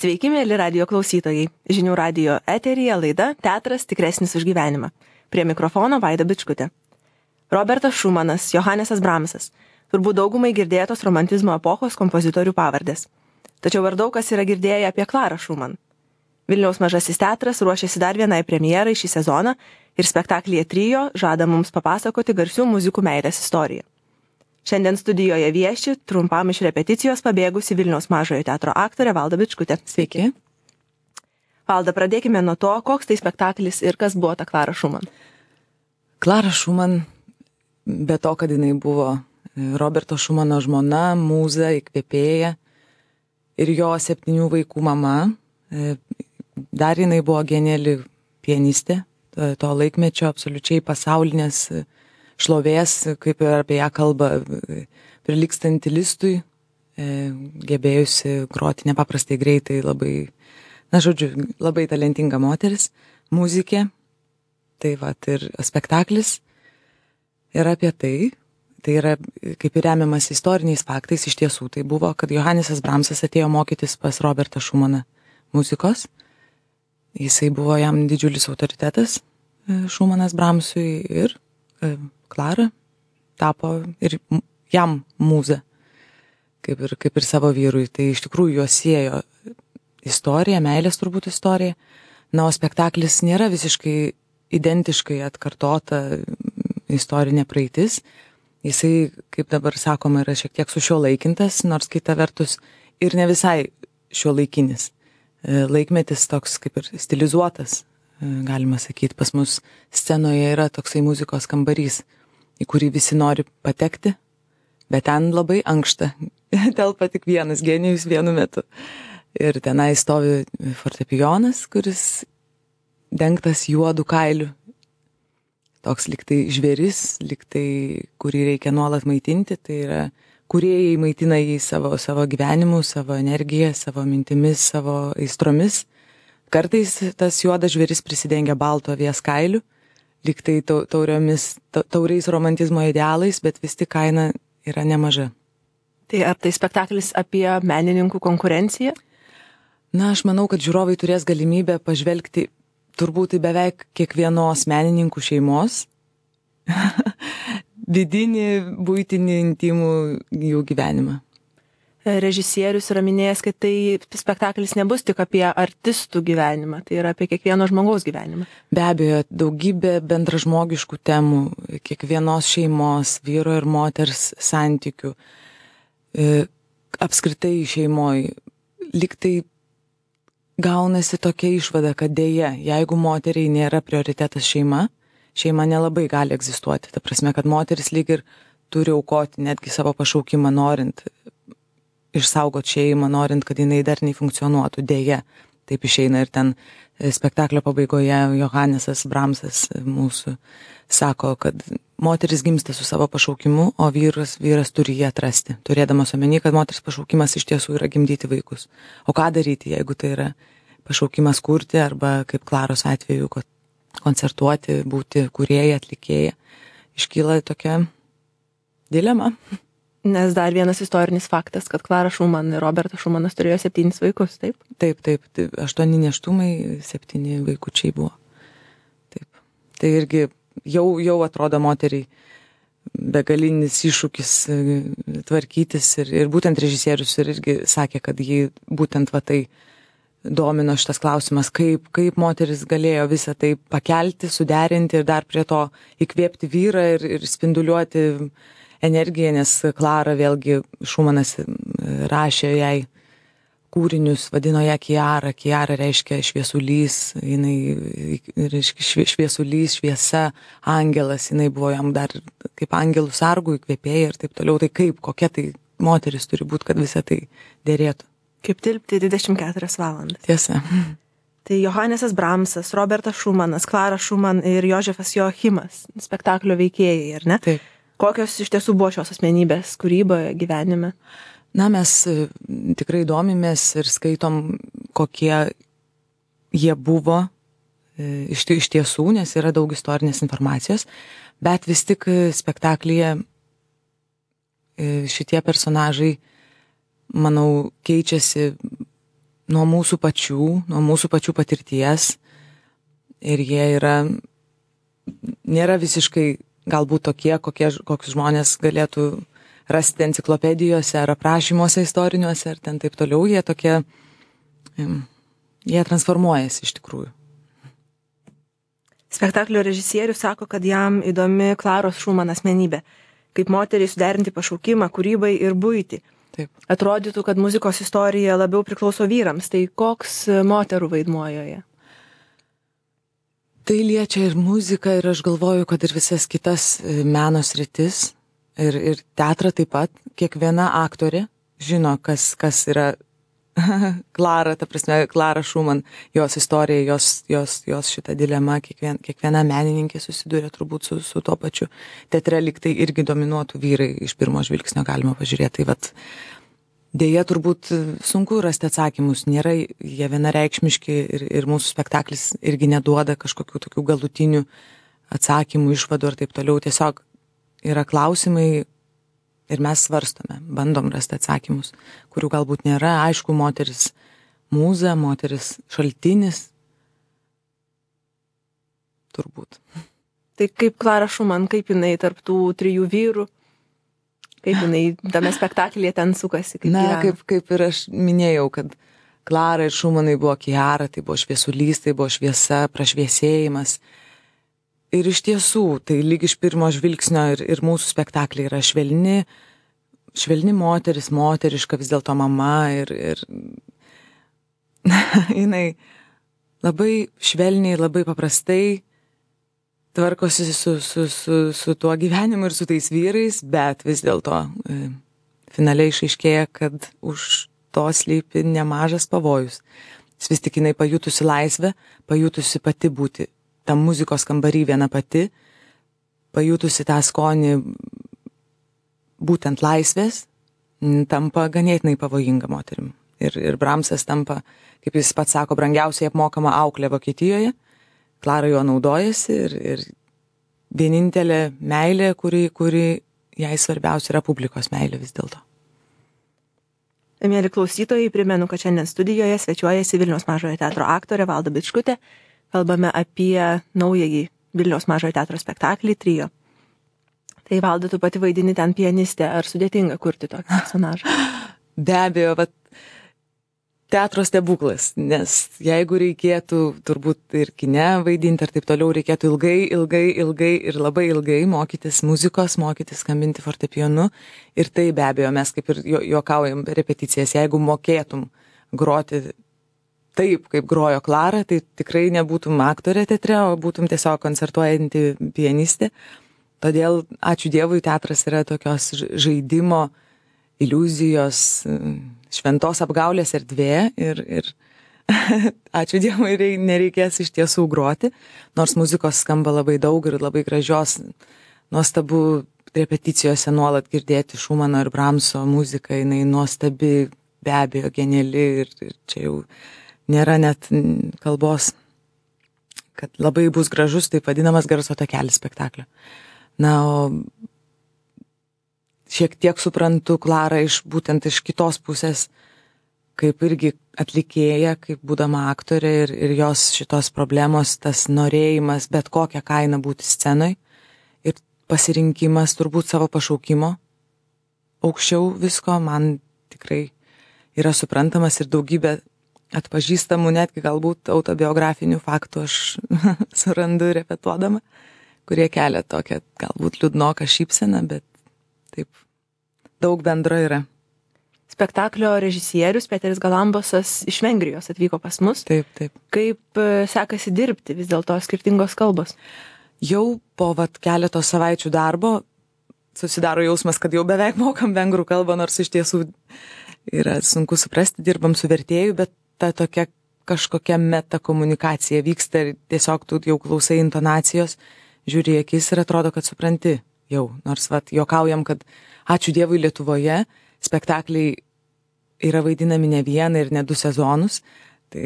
Sveiki, mėly radijo klausytojai. Žinių radijo eteryje laida Teatras tikresnis už gyvenimą. Prie mikrofono Vaida Bičkutė. Robertas Šumanas, Johanesas Bramsas. Turbūt daugumai girdėtos romantizmo epochos kompozitorių pavardės. Tačiau ar daug kas yra girdėję apie Klarą Šuman? Vilniaus Mažasis teatras ruošiasi dar vienai premjerai šį sezoną ir spektaklyje Trio žada mums papasakoti garsių muzikų meilės istoriją. Šiandien studijoje vieši trumpam iš repeticijos pabėgusi Vilniaus Mažojo teatro aktorė Valda Bičkutė. Sveiki. Valda, pradėkime nuo to, koks tai spektaklis ir kas buvo ta Klara Šuman. Klara Šuman, be to, kad jinai buvo Roberto Šumano žmona, mūza, įkvėpėja ir jo 7 vaikų mama, dar jinai buvo geniali pianistė, to laikmečio absoliučiai pasaulinės šlovės, kaip ir apie ją kalba, prilygstanti Listui, gebėjusi groti nepaprastai greitai, labai talentinga moteris, muzikė. Tai ir spektaklis yra apie tai yra kaip ir remiamas istoriniais faktais, iš tiesų tai buvo, kad Johanesas Bramsas atėjo mokytis pas Robertą Šumaną muzikos. Jisai buvo jam didžiulis autoritetas, Šumanas Bramsui, ir Klara tapo ir jam mūza, kaip ir savo vyrui. Tai iš tikrųjų juos siejo istorija, meilės turbūt istorija. Na, o spektaklis nėra visiškai identiškai atkartota istorinė praeitis. Jisai, kaip dabar sakoma, yra šiek tiek sušiuolaikintas, nors kita vertus ir ne visai šiuolaikinis. Laikmetis toks kaip ir stilizuotas, galima sakyti. Pas mus scenoje yra toksai muzikos kambarys, į kurį visi nori patekti, bet ten labai ankšta, telpa tik vienas genijus vienu metu. Ir tenai stovi fortepijonas, kuris dengtas juodu kailiu. Toks liktai žvėris, liktai, kurį reikia nuolat maitinti. Tai yra, kūrėjai maitina jį savo gyvenimu, savo energiją, savo mintimis, savo aistromis. Kartais tas juodas žvėris prisidengia balto avies kailiu, liktai tauriais romantizmo idealais, bet vis tik kaina yra nemaža. Tai ar tai spektaklis apie menininkų konkurenciją? Na, aš manau, kad žiūrovai turės galimybę pažvelgti turbūt į beveik kiekvienos menininkų šeimos vidinį, buitinį, intimų jų gyvenimą. Režisierius yra minėjęs, kad tai spektaklis nebus tik apie artistų gyvenimą, tai yra apie kiekvieno žmogaus gyvenimą. Be abejo, daugybė bendražmogiškų temų, kiekvienos šeimos, vyro ir moters santykių, apskritai šeimoje. Liktai gaunasi tokia išvada, kad dėja, jeigu moteriai nėra prioritetas šeima nelabai gali egzistuoti. Ta prasme, kad moteris lyg ir turi aukoti netgi savo pašaukimą, norint išsaugoti šeimą, norint, kad jinai darniai funkcionuotų. Dėja, taip išeina. Ir ten spektaklio pabaigoje Johanesas Bramsas mūsų sako, kad moteris gimsta su savo pašaukimu, o vyras turi jį atrasti, turėdamas omeny, kad moters pašaukimas iš tiesų yra gimdyti vaikus. O ką daryti, jeigu tai yra pašaukimas kurti, arba kaip Klaros atveju, koncertuoti, būti kūrėja, atlikėja. Iškyla tokia dilema. Nes dar vienas istorinis faktas, kad Klara Šuman ir Robertas Šumanas turėjo 7 vaikus, taip? Taip, 8 nėštumai, 7 vaikučiai buvo. Taip. Tai irgi jau atrodo moteriai begalinis iššūkis tvarkytis ir būtent režisierius irgi sakė, kad jį būtent tai domino šitas klausimas, kaip moteris galėjo visą tai pakelti, suderinti ir dar prie to įkvėpti vyrą ir spinduliuoti energiją, nes Klara vėlgi Šumanas rašė jai kūrinius, vadino ją Kiara. Kiara reiškia šviesulys, jinai reiškia šviesulys, šviesa, angelas, jinai buvo jam dar kaip angelų sargų įkvėpėja ir taip toliau. Tai kokia tai moteris turi būti, kad visą tai dėrėtų. Kaip tilpti 24 valandas. Tiesa. Tai Johanesas Bramsas, Robertas Šumanas, Klara Šuman ir Jožefas Joachimas, spektaklio veikėjai, ar ne? Taip. Kokios iš tiesų buvo šios asmenybės kūryboje, gyvenime? Na, mes tikrai domimės ir skaitom, kokie jie buvo iš tiesų, nes yra daug istorinės informacijos, bet vis tik spektaklyje šitie personažai, manau, keičiasi nuo mūsų pačių patirties ir jie nėra visiškai galbūt tokie, kokius žmonės galėtų rasti enciklopedijose ar aprašymuose istoriniuose ar ten taip toliau, jie transformuojasi iš tikrųjų. Spektaklio režisierius sako, kad jam įdomi Klaros Šuman asmenybė, kaip moteriai suderinti pašaukimą, kūrybai ir buitį. Taip. Atrodytų, kad muzikos istorija labiau priklauso vyrams, tai koks moterų vaidmuo joje? Tai liečia ir muziką, ir aš galvoju, kad ir visas kitas meno sritis, ir teatrą taip pat. Kiekviena aktorė žino, kas yra Klara, ta prasme, Klara Šuman, jos istorija, jos šita dilema, kiekviena menininkė susiduria turbūt su tuo pačiu. Teatre lyg tai irgi dominuotų vyrai, iš pirmo žvilgsnio galima pažiūrėti. Tai vat, dėja turbūt sunku rasti atsakymus, nėra jie vienareikšmiški ir mūsų spektaklis irgi neduoda kažkokių tokių galutinių atsakymų, išvadų ir taip toliau. Tiesiog yra klausimai ir mes svarstome, bandom rasti atsakymus, kurių galbūt nėra. Aišku, moteris mūza, moteris šaltinis. Turbūt. Tai kaip Klara Šuman, kaip jinai tarp tų 3 vyrų, kaip jinai tame spektaklyje ten sukasi? Kaip ir aš minėjau, kad Klara ir Šumanai buvo Kiara, tai buvo šviesulys, tai buvo šviesa, prašviesėjimas. Ir iš tiesų, tai lyg iš pirmo žvilgsnio ir mūsų spektakliai yra švelni moteris, moteriška vis dėlto mama ir jinai labai švelniai, labai paprastai tvarkosi su tuo gyvenimu ir su tais vyrais, bet vis dėlto finaliai išaiškėja, kad už to slypi nemažas pavojus. Vis tik jinai pajutusi laisvę, pajutusi pati būti tam muzikos kambarį viena pati, pajutusi tą skonį būtent laisvės, tampa ganėtinai pavojinga moterim. Ir Bramsas tampa, kaip jis pats sako, brangiausiai apmokama auklė Vokietijoje. Klara jo naudojasi ir vienintelė meilė, kuri jai svarbiausia yra publikos meilė vis dėlto. Mieli klausytojai, primenu, kad šiandien studijoje svečiuojasi Vilniaus Mažojo teatro aktorė Valda Bičkutė. Kalbame apie naująjį Vilniaus Mažojo teatro spektaklį Trio. Tai Valda, tu pati vaidini ten pianistę, ar sudėtinga kurti tokį personažą? Be abejo, teatro stebuklas, nes jeigu reikėtų turbūt ir kine vaidinti ar taip toliau, reikėtų ilgai ir labai ilgai mokytis muzikos, mokytis skambinti fortepijonu. Ir tai be abejo, mes kaip ir juokaujam repeticijas, jeigu mokėtum groti taip, kaip grojo Klara, tai tikrai nebūtum aktorė teatre, o būtum tiesiog koncertuojanti pianistė. Todėl, ačiū Dievui, teatras yra tokios žaidimo, iliuzijos, šventos apgaulės erdvė ir ačiū Dievui, nereikės iš tiesų groti, nors muzikos skamba labai daug ir labai gražios, nuostabu repeticijose nuolat girdėti Šumano ir Bramso muziką, jinai nuostabi, be abejo, geniali ir čia jau nėra net kalbos, kad labai bus gražus, taip vadinamas garso takelis spektaklio. Na, o šiek tiek suprantu Klarą būtent iš kitos pusės, kaip irgi atlikėja, kaip būdama aktorė ir jos šitos problemos, tas norėjimas bet kokią kainą būti scenoj ir pasirinkimas turbūt savo pašaukimo aukščiau visko, man tikrai yra suprantamas ir daugybė atpažįstamų, netgi galbūt autobiografinių faktų aš surandu repetuodama, kurie kelia tokią galbūt liūdnoką šypseną, bet taip daug bendro yra. Spektaklio režisierius Peteris Galambosas iš Vengrijos atvyko pas mus. Taip. Kaip sekasi dirbti, vis dėlto skirtingos kalbos? Jau po keletos savaičių darbo susidaro jausmas, kad jau beveik mokam vengrų kalbą, nors iš tiesų yra sunku suprasti, dirbam su vertėju, bet ta tokia kažkokia meta komunikacija vyksta ir tiesiog tu jau klausai intonacijos, žiūri akis ir atrodo, kad supranti jau. Nors juokaujam, kad ačiū Dievui Lietuvoje spektakliai yra vaidinami ne vieną ir ne 2 sezonus. Tai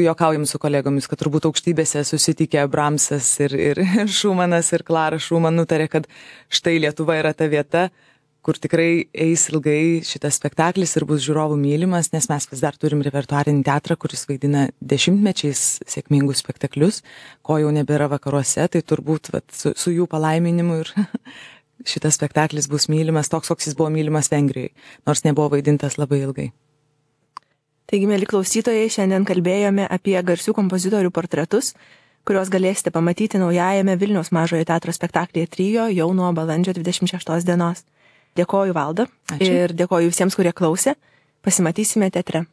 juokaujam su kolegomis, kad turbūt aukštybėse susitikę Bramsas ir Šumanas ir Klara Šuman nutarė, kad štai Lietuva yra ta vieta, kur tikrai eis ilgai šitas spektaklis ir bus žiūrovų mylimas, nes mes vis dar turim repertuarinį teatrą, kuris vaidina 10-mečiais sėkmingus spektaklius, ko jau nebėra vakaruose, tai turbūt su jų palaiminimu ir šitas spektaklis bus mylimas toks, koks jis buvo mylimas Vengrijoje, nors nebuvo vaidintas labai ilgai. Taigi, mėly klausytojai, šiandien kalbėjome apie garsių kompozitorių portretus, kuriuos galėsite pamatyti naujajame Vilniaus Mažojo teatro spektaklyje Trio jau nuo balandžio 26 dienos. Dėkoju, Valda. Ačiū. Ir dėkoju visiems, kurie klausė. Pasimatysime teatre.